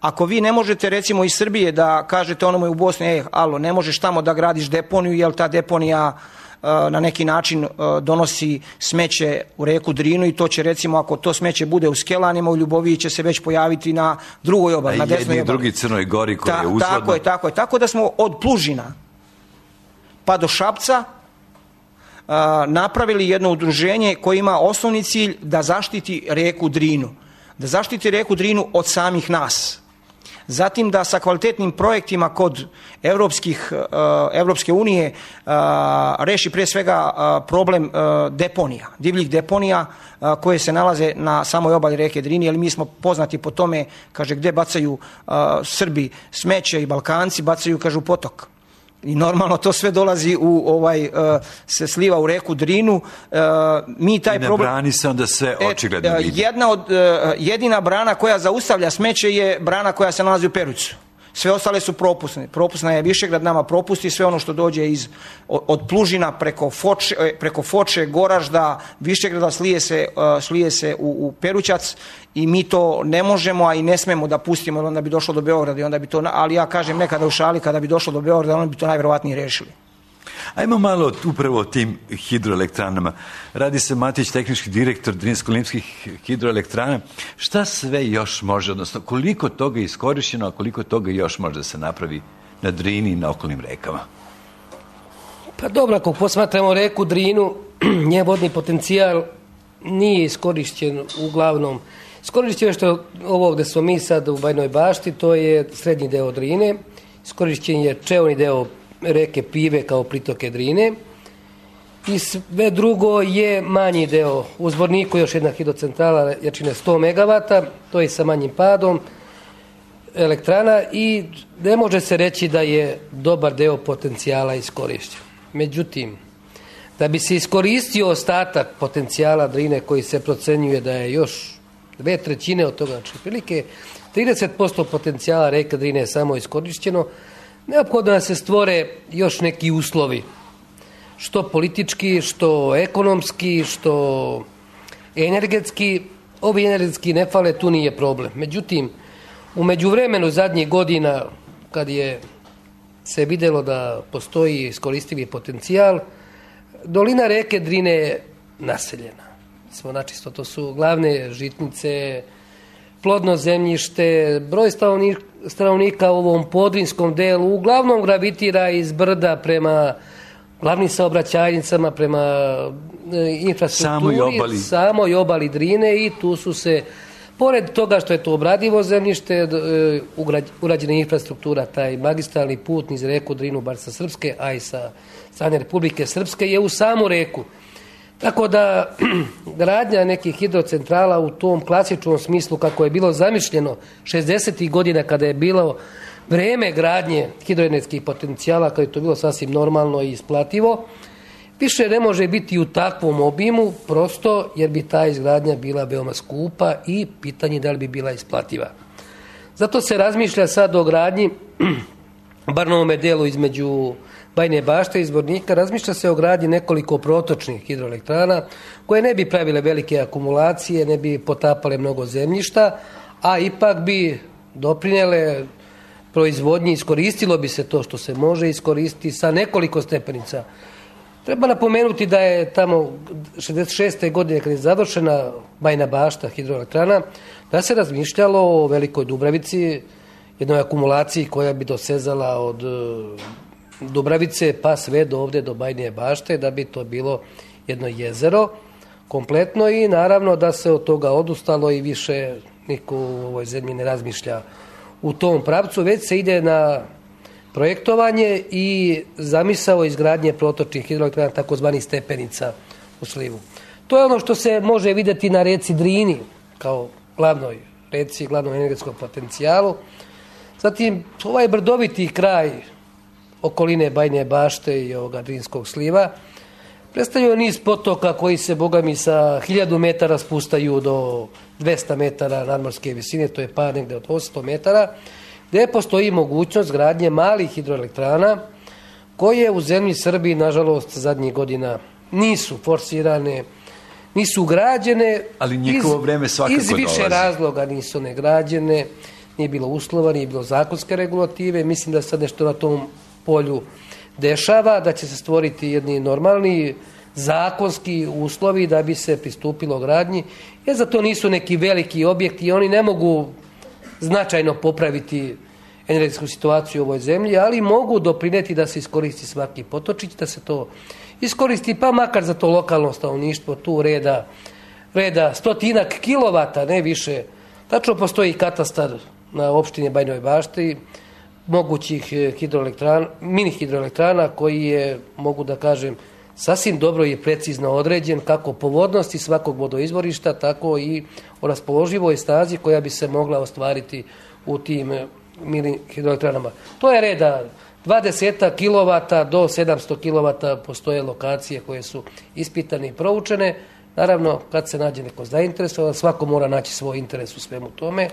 ako vi ne možete recimo iz Srbije da kažete onome u Bosni, alo, ne možeš tamo da gradiš deponiju, jer ta deponija na neki način donosi smeće u reku Drinu i to će recimo, ako to smeće bude u Skelanima, u Ljuboviji će se već pojaviti na drugoj obali, na desnoj obali. A jedni i drugi Crnoj Gori koja je uzvodno. Tako je. Tako da smo od Plužina pa do Šapca napravili jedno udruženje koje ima osnovni cilj da zaštiti reku Drinu. Da zaštiti reku Drinu od samih nas. Zatim da sa kvalitetnim projektima kod Evropske unije reši pre svega problem deponija, divljih deponija koje se nalaze na samoj obali reke Drini, jer mi smo poznati po tome, kaže, gde bacaju Srbi smeće i Balkanci, bacaju, kaže, u potok. I normalno to sve dolazi se sliva u reku Drinu. Mi taj I na brani se onda sve očigledno vidi. Jedina brana koja zaustavlja smeće je brana koja se nalazi u Perućcu. Sve ostale su propusne. Propusna je Višegrad, nama propusti sve ono što dođe od Plužina preko Foče, Goražda, Višegrada slije se u Perućac i mi to ne možemo, a i ne smemo da pustimo, jer onda bi došlo do Beograda i onda bi to, ali ja kažem nekada u šali, kada bi došlo do Beograda, onda bi to najverovatnije rešili. Ajmo malo upravo o tim hidroelektranama. Radi se Matić, tehnički direktor Drinsko-Limskih hidroelektrana. Šta sve još može, odnosno koliko toga je iskorišćeno, a koliko toga još može da se napravi na Drini i na okolnim rekama? Pa dobro, ako posmatramo reku Drinu, njen vodni potencijal nije iskorišćen uglavnom. Iskorišćeno što ovo gde smo mi sad u Bajnoj Bašti, to je srednji deo Drine. Iskorišćen je čeoni deo reke Pive kao pritoke Drine i sve drugo je manji deo. U Zvorniku još jedna hidrocentrala jačine 100 MW, to je sa manjim padom elektrana i ne može se reći da je dobar deo potencijala iskorišćen. Međutim, da bi se iskoristio ostatak potencijala Drine koji se procenjuje da je još 2/3 od toga, znači prilike 30% potencijala reke Drine je samo iskorišćeno, neophodno da se stvore još neki uslovi, što politički, što ekonomski, što energetski. Ovi energetski ne fale, tu nije problem. Međutim, u međuvremenu zadnjih godina, kad je se vidjelo da postoji iskoristivi potencijal, dolina reke Drine je naseljena. Načisto, to su glavne žitnice, plodno zemljište, broj stanovnika u ovom podrinskom delu uglavnom gravitira iz brda prema glavnim saobraćajnicama, prema infrastrukturi, samoj obali Drine i tu su se, pored toga što je to obradivo zemljište, urađena infrastruktura, taj magistralni put niz reku Drinu, bar sa Srpske, a i sa strane Republike Srpske, je u samu reku. Tako da gradnja nekih hidrocentrala u tom klasičnom smislu kako je bilo zamišljeno 60. godina kada je bilo vreme gradnje hidroenergetskih potencijala, kada je to bilo sasvim normalno i isplativo, više ne može biti u takvom obimu, prosto jer bi ta izgradnja bila veoma skupa i pitanje da li bi bila isplativa. Zato se razmišlja sad o gradnji, bar na ovome delu između Bajne Bašte i Zvornika, razmišlja se o gradnji nekoliko protočnih hidroelektrana koje ne bi pravile velike akumulacije, ne bi potapale mnogo zemljišta, a ipak bi doprinele proizvodnji, iskoristilo bi se to što se može iskoristiti sa nekoliko stepenica. Treba napomenuti da je tamo 66. godine kad je završena Bajna Bašta hidroelektrana, da se razmišljalo o Velikoj Dubravici, jednoj akumulaciji koja bi dosezala od Dubravice pa sve do ovde do Bajne Bašte, da bi to bilo jedno jezero kompletno i naravno da se od toga odustalo i više niko u ovoj zemlji ne razmišlja u tom pravcu, već se ide na projektovanje i zamisao izgradnje protočnih hidroelektrana, takozvanih stepenica u slivu. To je ono što se može vidjeti na reci Drini kao glavnoj reci, glavnom energetskom potencijalu. Zatim, ovaj brdoviti kraj okoline Bajne Bašte i ovoga Drinskog sliva predstavljaju niz potoka koji se, bogami, sa 1000 metara spustaju do 200 metara nadmorske visine, to je par negde od 800 metara, gde postoji mogućnost gradnje malih hidroelektrana koje u zemlji Srbiji, nažalost, zadnjih godina nisu forsirane, nisu građene. Ali njihovo vreme svakako iz više dolazi. razloga nisu negrađene, nije bilo uslova, nije bilo zakonske regulative. Mislim da sad nešto na tom polju dešava, da će se stvoriti jedni normalni zakonski uslovi da bi se pristupilo gradnji, jer za to nisu neki veliki objekti i oni ne mogu značajno popraviti energetsku situaciju u ovoj zemlji, ali mogu doprineti da se iskoristi svaki potočić, da se to iskoristi, pa makar za to lokalno stanovništvo, tu reda 100 kilovata, ne više. Tačno postoji katastar na opštini Bajinoj Bašti mogućih mini hidroelektrana koji je, mogu da kažem, sasvim dobro i precizno određen kako po vodnosti svakog vodoizvorišta, tako i o raspoloživoj snazi koja bi se mogla ostvariti u tim mini hidroelektranama. To je reda 20 kilovata do 700 kilovata, postoje lokacije koje su ispitane i proučene. Naravno, kad se nađe neko zainteresovan, svako mora naći svoj interes u svemu tome,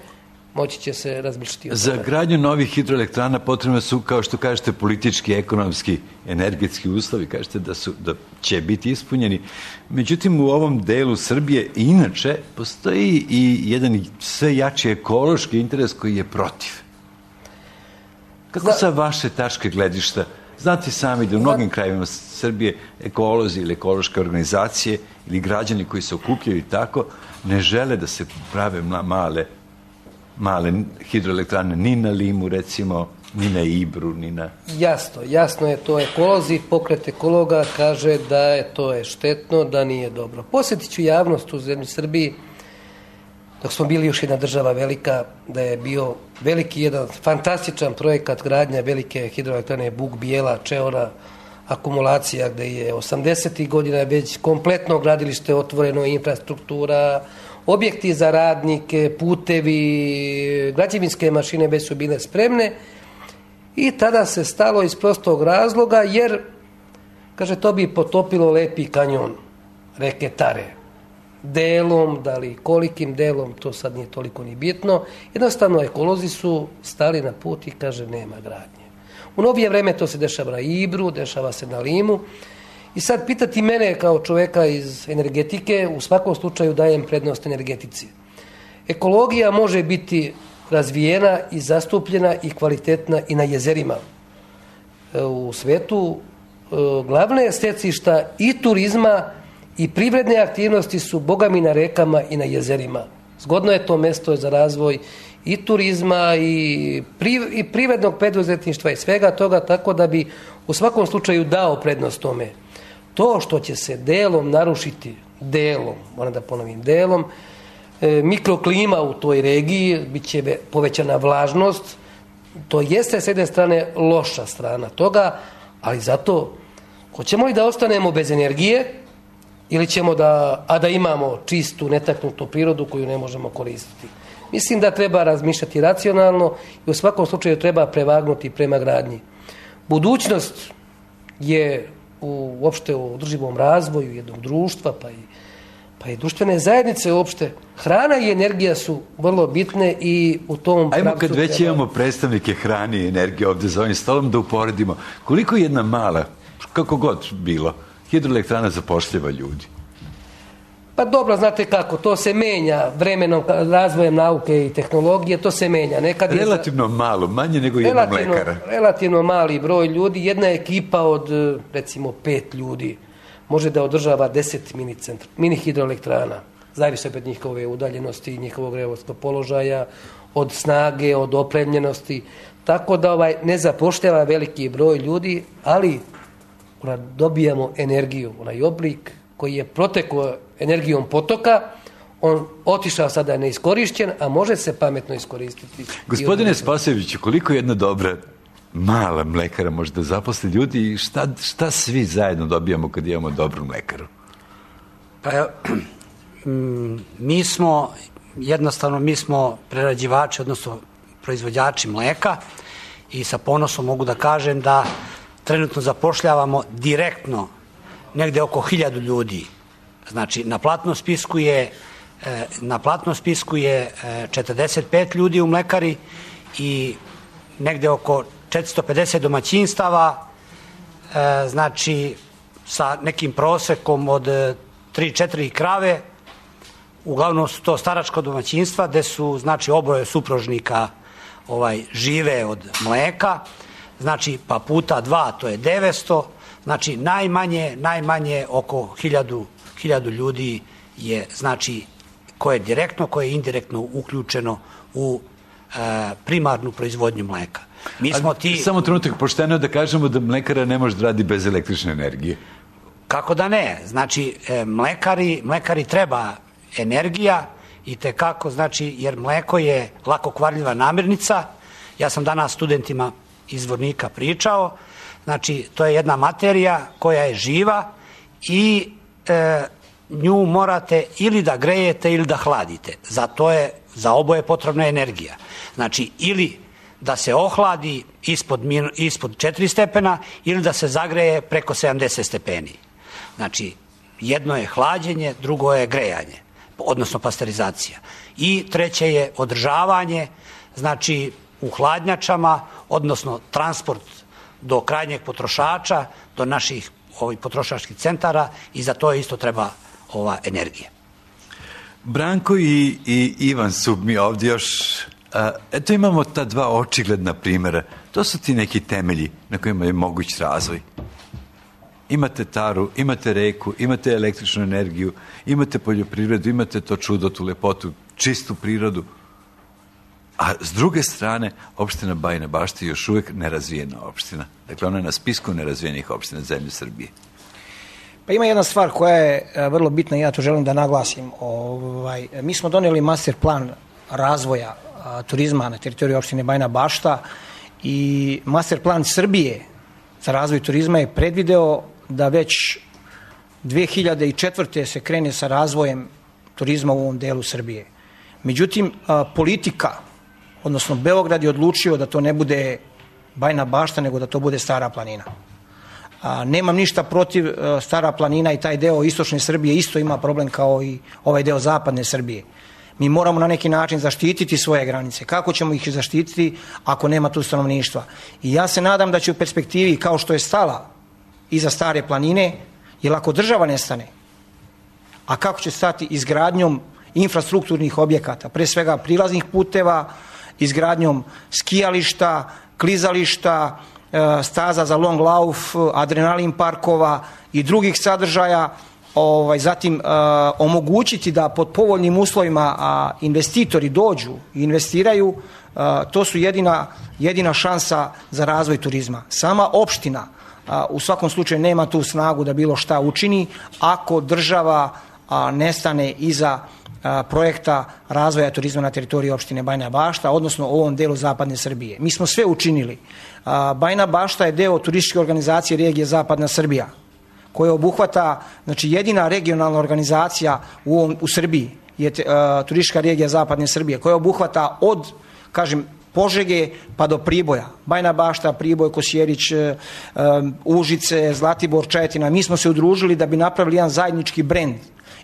moći će se razmišljati o tome. Za gradnju novih hidroelektrana potrebno su, kao što kažete, politički, ekonomski, energetski uslovi, kažete da će biti ispunjeni. Međutim, u ovom delu Srbije inače postoji i jedan sve jači ekološki interes koji je protiv. Kako sa vaše tačke gledišta? Znate sami da u mnogim krajevima Srbije ekolozi ili ekološke organizacije ili građani koji se okupljaju i tako ne žele da se prave male hidroelektrane ni na Limu, recimo, ni na Ibru, ni na... Jasno je to. Ekolozi, pokret ekologa kaže da je to štetno, da nije dobro. Posjetit ću javnost u zemlji Srbiji, dok smo bili još jedna država velika, da je bio veliki jedan fantastičan projekat gradnja velike hidroelektrane Buk Bijela, Čeora, akumulacija, gde je 80. godina već kompletno gradilište otvoreno, infrastruktura, objekti za radnike, putevi, građevinske mašine već su bile spremne i tada se stalo iz prostog razloga jer, kaže, to bi potopilo lepi kanjon reke Tare. Delom, da li kolikim delom, to sad nije toliko ni bitno. Jednostavno, ekolozi su stali na put i kaže nema gradnje. U novije vreme to se dešava na Ibru, dešava se na Limu. I sad pitati mene kao čoveka iz energetike, u svakom slučaju dajem prednost energetici. Ekologija može biti razvijena i zastupljena i kvalitetna i na jezerima. U svetu glavne stecišta i turizma i privredne aktivnosti su bogami na rekama i na jezerima. Zgodno je to mesto za razvoj i turizma i privrednog preduzetništva i svega toga, tako da bi u svakom slučaju dao prednost tome. To što će se delom narušiti, moram da ponovim, mikroklima u toj regiji, bit će povećana vlažnost, to jeste s jedne strane loša strana toga, ali zato hoćemo li da ostanemo bez energije ili ćemo da imamo čistu, netaknutu prirodu koju ne možemo koristiti. Mislim da treba razmišljati racionalno i u svakom slučaju treba prevagnuti prema gradnji. Budućnost je uopšte u održivom razvoju jednog društva, pa i društvene zajednice uopšte. Hrana i energija su vrlo bitne i u tom pravcu... Ajmo kad već imamo predstavnike hrane i energije ovdje za ovim stolom da uporedimo. Koliko jedna mala, kako god bilo, hidroelektrana zapošljava ljudi? Pa dobro, znate kako, to se menja vremenom, razvojem nauke i tehnologije, to se menja. Relativno malo, manje nego jedna mlekara. Relativno mali broj ljudi, jedna ekipa od, recimo, 5 ljudi može da održava 10 mini hidroelektrana. Zavisi od njihove udaljenosti, njihovog geografskog položaja, od snage, od opremljenosti. Tako da ne zapošljava veliki broj ljudi, ali dobijamo energiju, onaj oblik koji je protekao energijom potoka, on otišao sada neiskorišćen, a može se pametno iskoristiti. Gospodine Spasojeviću, koliko jedna dobra mala mlekara može da zaposli ljudi i šta svi zajedno dobijamo kad imamo dobru mlekaru? Pa mi smo prerađivači, odnosno proizvođači mleka i sa ponosom mogu da kažem da trenutno zapošljavamo direktno negde oko 1000 ljudi. Znači, na platnom spisku je 45 ljudi u mlekari i negde oko 450 domaćinstava, znači sa nekim prosekom od 3-4 krave. Uglavnom su to staračka domaćinstva gde su, znači, oboje supružnika žive od mleka, znači pa puta 2 to je 900, znači najmanje oko 1000 ljudi je, znači, koje je direktno, koje je indirektno uključeno u primarnu proizvodnju mleka. Samo trenutak, pošteno da kažemo da mlekara ne može da radi bez električne energije. Kako da ne? Znači, mlekari treba energija i tekako, znači, jer mleko je lako kvarljiva namirnica. Ja sam danas studentima iz Vornika pričao, znači, to je jedna materija koja je živa i nju morate ili da grejete ili da hladite. Za oboje potrebna energija. Znači, ili da se ohladi ispod 4 stepena ili da se zagreje preko 70 stepeni. Znači, jedno je hlađenje, drugo je grejanje, odnosno pasterizacija. I treće je održavanje, znači u hladnjačama, odnosno transport do krajnjeg potrošača, do naših potrošačkih centara i za to isto treba ova energija. Branko i Ivan su mi ovdje još... Eto imamo ta dva očigledna primjera. To su ti neki temelji na kojima je moguć razvoj. Imate taru, imate reku, imate električnu energiju, imate poljoprivredu, imate to čudo, tu lepotu, čistu prirodu. A s druge strane, opština Bajina Bašta je još uvijek nerazvijena opština. Dakle, ona je na spisku nerazvijenih opština zemlje Srbije. Pa ima jedna stvar koja je vrlo bitna i ja to želim da naglasim. Mi smo donijeli master plan razvoja turizma na teritoriji opštine Bajina Bašta i master plan Srbije za razvoj turizma je predvideo da već 2004. se krene sa razvojem turizma u ovom delu Srbije. Međutim, politika, odnosno Beograd je odlučio da to ne bude Bajina Bašta, nego da to bude Stara planina. Nemam ništa protiv Stara planina i taj deo istočne Srbije isto ima problem kao i ovaj deo zapadne Srbije. Mi moramo na neki način zaštititi svoje granice. Kako ćemo ih zaštititi ako nema tu stanovništva? I ja se nadam da će u perspektivi, kao što je stala iza Stare planine, jer ako država nestane, a kako će stati izgradnjom infrastrukturnih objekata, pre svega prilaznih puteva, izgradnjom skijališta, klizališta, staza za long lauf, adrenalin parkova i drugih sadržaja, zatim omogućiti da pod povoljnim uslovima investitori dođu i investiraju, to su jedina šansa za razvoj turizma. Sama opština u svakom slučaju nema tu snagu da bilo šta učini ako država nestane iza projekta razvoja turizma na teritoriji opštine Bajina Bašta, odnosno u ovom delu zapadne Srbije. Mi smo sve učinili. Bajina Bašta je deo turističke organizacije regije Zapadna Srbija, koja obuhvata, znači jedina regionalna organizacija u Srbiji je turistička regija Zapadne Srbije, koja obuhvata od, kažem, Požege pa do Priboja. Bajina Bašta, Priboj, Kosjerić, Užice, Zlatibor, Čajetina. Mi smo se udružili da bi napravili jedan zajednički brend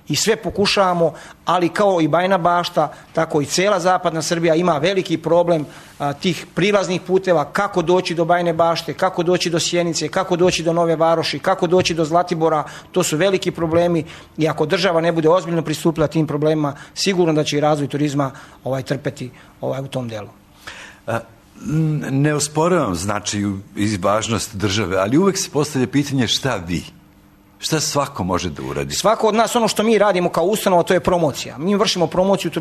i sve pokušavamo, ali kao i Bajina Bašta, tako i cela zapadna Srbija ima veliki problem tih prilaznih puteva, kako doći do Bajine Bašte, kako doći do Sjenice, kako doći do Nove Varoši, kako doći do Zlatibora. To su veliki problemi i ako država ne bude ozbiljno pristupila tim problemima, sigurno da će i razvoj turizma trpeti u tom delu. Ne osporavam značaju i važnost države, ali uvek se postavlja pitanje šta vi? Šta svako može da uradi? Svako od nas, ono što mi radimo kao ustanova, to je promocija. Mi vršimo promociju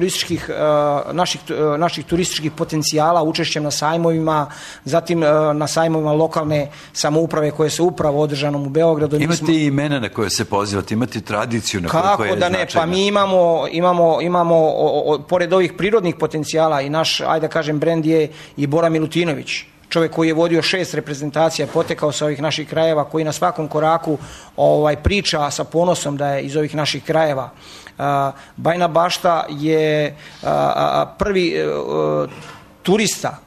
naših turističkih potencijala učešćem na sajmovima, zatim na sajmovima lokalne samouprave koje se upravo održanom u Beogradu. Imate i imena na koje se pozivate, imate tradiciju na koje je značajna. Kako da ne, pa mi imamo pored ovih prirodnih potencijala i naš, ajde da kažem, brend je i Bora Milutinović. Čovjek koji je vodio 6 reprezentacija, potekao sa ovih naših krajeva, koji na svakom koraku priča sa ponosom da je iz ovih naših krajeva. Bajina Bašta je prvi turista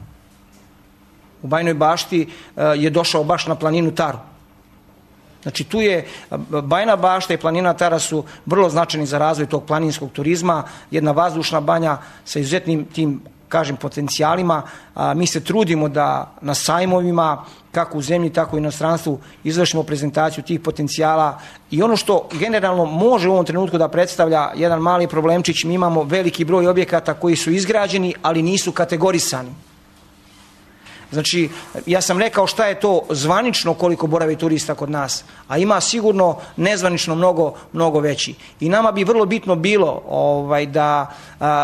u Bajinoj Bašti je došao baš na planinu Taru. Znači tu je Bajina Bašta i planina Tara su vrlo značajni za razvoj tog planinskog turizma, jedna vazdušna banja sa izuzetnim tim kažem, potencijalima. Mi se trudimo da na sajmovima, kako u zemlji, tako i u inostranstvu, izvršimo prezentaciju tih potencijala i ono što generalno može u ovom trenutku da predstavlja jedan mali problemčić, mi imamo veliki broj objekata koji su izgrađeni, ali nisu kategorisani. Znači, ja sam rekao šta je to zvanično koliko boravi turista kod nas, a ima sigurno nezvanično mnogo veći. I nama bi vrlo bitno bilo da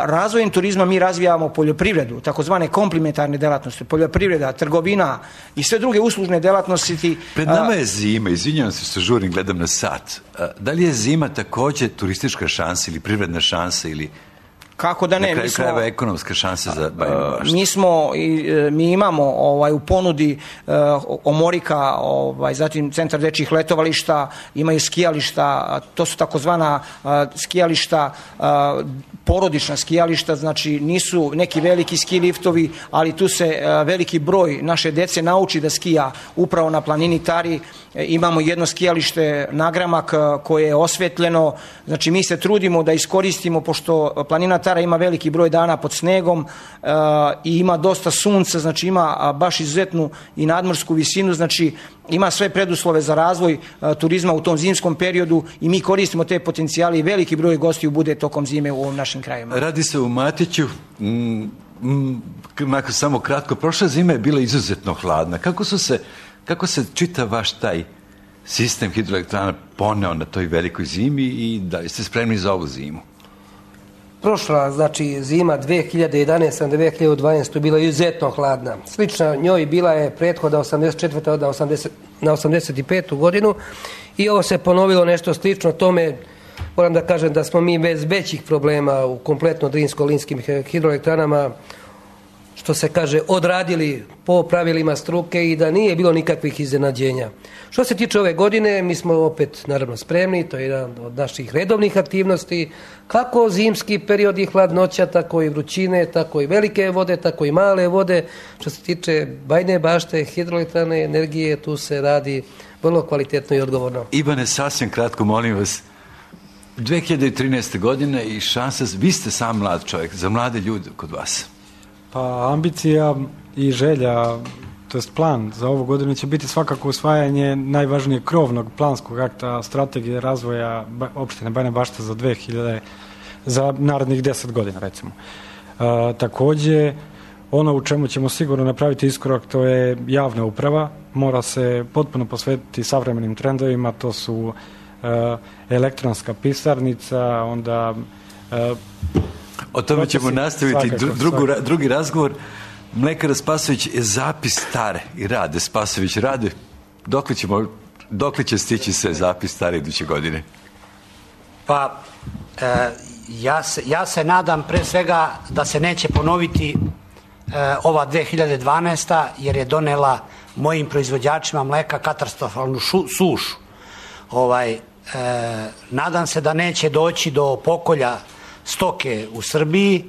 razvojem turizma mi razvijamo poljoprivredu, takozvane komplementarne delatnosti, poljoprivreda, trgovina i sve druge uslužne delatnosti. Pred nama je zima, izvinjavam se što žurim, gledam na sat. Da li je zima također turistička šansa ili privredna šansa ili... Kako da ne? Na kraju krajeva ekonomske šanse za Bajinu Baštu. Mi imamo u ponudi Omorika, zatim Centar dečjih letovališta, imaju skijališta, to su takozvana skijališta, porodična skijališta, znači nisu neki veliki ski liftovi, ali tu se veliki broj naše dece nauči da skija upravo na planini Tari. Imamo jedno skijalište Nagramak koje je osvetljeno, znači mi se trudimo da iskoristimo, pošto planina Tara ima veliki broj dana pod snegom i ima dosta sunca, znači ima baš izuzetnu i nadmorsku visinu, znači ima sve preduslove za razvoj turizma u tom zimskom periodu i mi koristimo te potencijale i veliki broj gostiju bude tokom zime u ovom našim krajima. Radi se u Matiću, samo kratko, prošla zima je bila izuzetno hladna. Kako se čita vaš taj sistem hidroelektrana poneo na toj velikoj zimi i da li ste spremni za ovu zimu? Prošla, znači zima 2011-2012 bila izuzetno hladna. Slična njoj bila je prethoda 84. na 85. godinu i ovo se ponovilo nešto slično tome. Moram da kažem da smo mi bez većih problema u kompletno drinsko-linskim hidroelektranama, što se kaže, odradili po pravilima struke i da nije bilo nikakvih iznenađenja. Što se tiče ove godine, mi smo opet naravno spremni, to je jedan od naših redovnih aktivnosti, kako zimski period i hladnoća, tako i vrućine, tako i velike vode, tako i male vode. Što se tiče Bajine Bašte, hidroelektrane, energije, tu se radi vrlo kvalitetno i odgovorno. Ivane, sasvim kratko, molim vas, 2013. godine i šansa, vi ste sam mlad čovjek, za mlade ljude kod vas. Pa ambicija i želja, to jest plan za ovu godinu će biti svakako usvajanje najvažnijeg krovnog planskog akta strategije razvoja opštine Bajina Bašta za narednih 10 godina, recimo. Također, ono u čemu ćemo sigurno napraviti iskorak, to je javna uprava, mora se potpuno posvetiti savremenim trendovima, to su elektronska pisarnica, onda... O tome ćemo nastaviti drugi razgovor. Mlekara Spasović je zapis stare i Rade Spasović. Rade, dokle će stići se zapis stare iduće godine? Pa, ja se nadam pre svega da se neće ponoviti ova 2012. jer je donela mojim proizvođačima mleka katastrofalnu sušu. Nadam se da neće doći do pokolja stoke u Srbiji,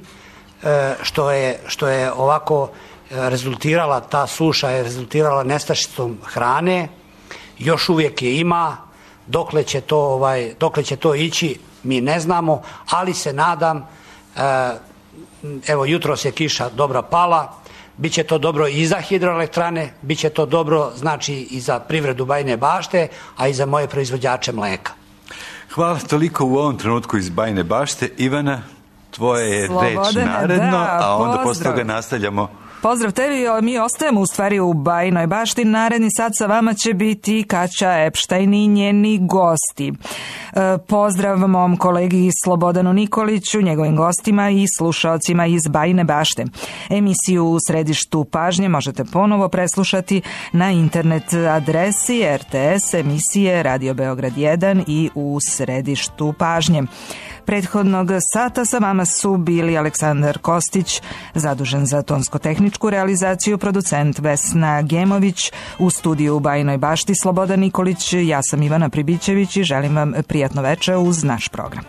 što je ovako rezultirala, ta suša je rezultirala nestašicom hrane, još uvijek je ima, dokle će to ići mi ne znamo, ali se nadam, evo jutros je kiša dobra pala, bit će to dobro i za hidroelektrane, bit će to dobro znači i za privredu Bajine Bašte, a i za moje proizvođače mleka. Hvala toliko u ovom trenutku iz Bajine Bašte. Ivana, tvoje je reč naredno, a onda posle toga nastavljamo. Pozdrav tebi, mi ostajemo u stvari u Bajinoj Bašti. Naredni sat sa vama će biti Kaća Epštajn i njeni gosti. Pozdrav mom kolegi Slobodanu Nikoliću, njegovim gostima i slušaocima iz Bajine Bašte. Emisiju U središtu pažnje možete ponovo preslušati na internet adresi RTS emisije Radio Beograd 1 i U središtu pažnje. Prethodnog sata sa vama su bili Aleksandar Kostić, zadužen za tonsko-tehničku realizaciju, producent Vesna Gemović, u studiju u Bajinoj Bašti Slobodan Nikolić, ja sam Ivana Pribićević i želim vam prijatno veče uz naš program.